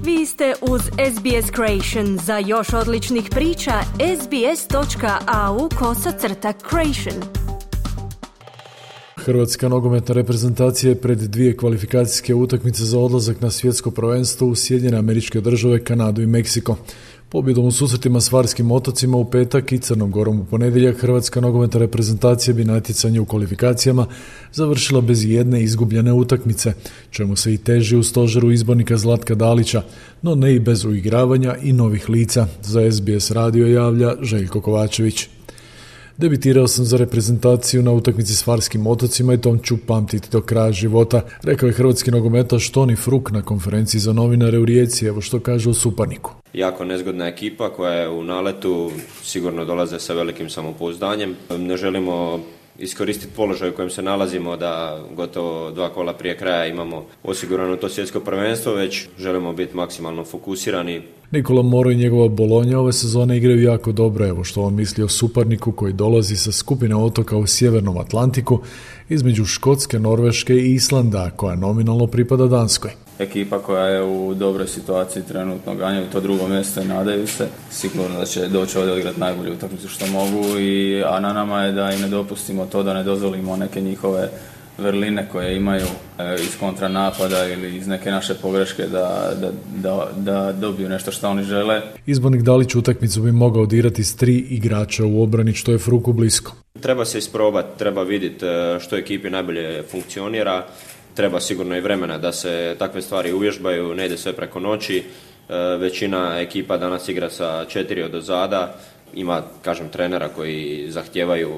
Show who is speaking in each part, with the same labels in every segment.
Speaker 1: Vi ste uz SBS Creation. Za još odličnih priča, sbs.au/creation.
Speaker 2: Hrvatska nogometna reprezentacija je pred 2 kvalifikacijske utakmice za odlazak na svjetsko prvenstvo u Sjedinjene Američke Države, Kanadu i Meksiko. Pobjedom u susretima s Farskim otocima u petak i Crnom Gorom u ponedjeljak, Hrvatska nogometna reprezentacija bi natjecanje u kvalifikacijama završila bez jedne izgubljene utakmice, čemu se i teži u stožeru izbornika Zlatka Dalića, no ne i bez uigravanja i novih lica. Za SBS radio javlja Željko Kovačević. Debitirao sam za reprezentaciju na utakmici s Farskim otocima i tom ću pamtiti do kraja života, rekao je hrvatski nogometaš Toni Fruk na konferenciji za novinare u Rijeci. Evo što kaže o Suparniku.
Speaker 3: Jako nezgodna ekipa koja je u naletu, sigurno dolaze sa velikim samopouzdanjem. Ne želimo iskoristiti položaj u kojem se nalazimo, da gotovo 2 kola prije kraja imamo osigurano to svjetsko prvenstvo, već želimo biti maksimalno fokusirani.
Speaker 2: Nikola Moro i njegova Bolonja ove sezone igraju jako dobro. Evo što on misli o Suparniku koji dolazi sa skupine otoka u Sjevernom Atlantiku između Škotske, Norveške i Islanda, koja nominalno pripada Danskoj.
Speaker 4: Ekipa koja je u dobroj situaciji trenutno, ganjaju to drugo mjesto i nadaju se. Sigurno da će doći ovdje odigrati najbolju utakmicu što mogu, a na nama je da im ne dopustimo to, da ne dozvolimo neke njihove vrline koje imaju iz kontranapada ili iz neke naše pogreške da dobiju nešto što oni žele.
Speaker 2: Izbornik Dalić utakmicu bi mogao odigrati s 3 igrača u obrani, što je Fruku blisko.
Speaker 3: Treba se isprobati, treba vidjeti što ekipi najbolje funkcionira. Treba sigurno i vremena da se takve stvari uvježbaju, ne ide sve preko noći. Većina ekipa danas igra sa 4 odozada. Ima, trenera koji zahtijevaju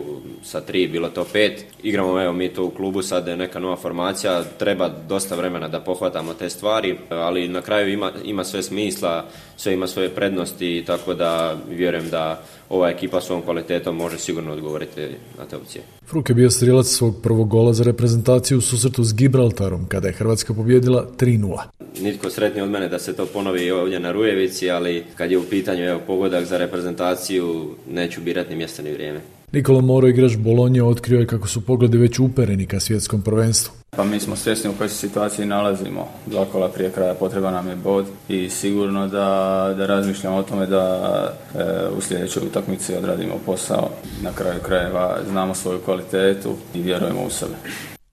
Speaker 3: sa 3, bilo to 5. Igramo, mi to u klubu, sad je neka nova formacija, treba dosta vremena da pohvatamo te stvari, ali na kraju ima sve smisla, sve ima svoje prednosti, tako da vjerujem da ova ekipa svojom kvalitetom može sigurno odgovoriti na te opcije.
Speaker 2: Fruk je bio strijelac svog prvog gola za reprezentaciju u susretu s Gibraltarom, kada je Hrvatska pobijedila 3-0.
Speaker 3: Nitko sretniji od mene da se to ponovi ovdje na Rujevici, ali kad je u pitanju pogodak za reprezentaciju, neću birati ni mjesto ni vrijeme.
Speaker 2: Nikola Moro, igrač Bolonje, otkrio je kako su pogledi već upereni ka svjetskom prvenstvu.
Speaker 4: Pa mi smo svjesni u kojoj se situaciji nalazimo. 2 kola prije kraja potreba nam je bod i sigurno da razmišljamo o tome da u sljedećoj utakmici odradimo posao. Na kraju krajeva znamo svoju kvalitetu i vjerujemo u sebe.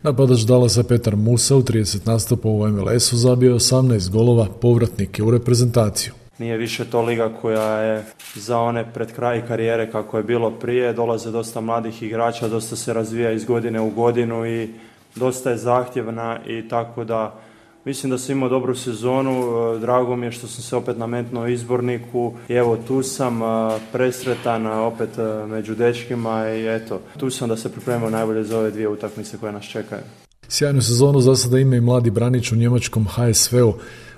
Speaker 2: Napadač Dallasa Petar Musa u 30 nastupa u MLS-u zabio 18 golova, povratnik je u reprezentaciju.
Speaker 5: Nije više to liga koja je za one pred kraj karijere kako je bilo prije. Dolaze dosta mladih igrača, dosta se razvija iz godine u godinu i dosta je zahtjevna i tako da mislim da sam imao dobru sezonu. Drago mi je što sam se opet nametnuo izborniku i evo tu sam presretan opet među dečkima i eto tu sam da se pripremimo najbolje za ove 2 utakmice koje nas čekaju.
Speaker 2: Sjajnu sezonu za sada ima i mladi branič u njemačkom HSV-u.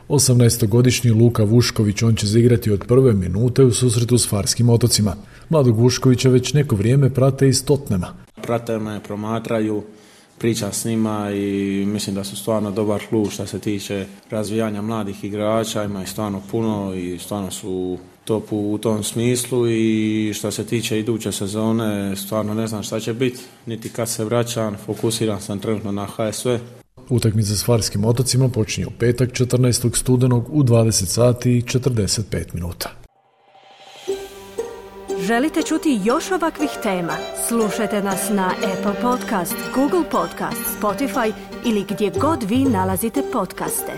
Speaker 2: 18-godišnji Luka Vušković, on će zaigrati od prve minute u susretu s Farskim otocima. Mladog Vuškovića već neko vrijeme prate iz Tottenhama.
Speaker 6: Prate me, promatraju, pričam s njima i mislim da su stvarno dobar klub što se tiče razvijanja mladih igrača, ima ih stvarno puno i stvarno su top u tom smislu i što se tiče iduće sezone stvarno ne znam šta će biti, niti kad se vraćam, fokusiran sam trenutno na HSV.
Speaker 2: Utakmica s Farskim otocima počinje u petak 14. studenog u 20 sati i 45 minuta.
Speaker 1: Želite čuti još ovakvih tema? Slušajte nas na Apple Podcast, Google Podcast, Spotify ili gdje god vi nalazite podcaste.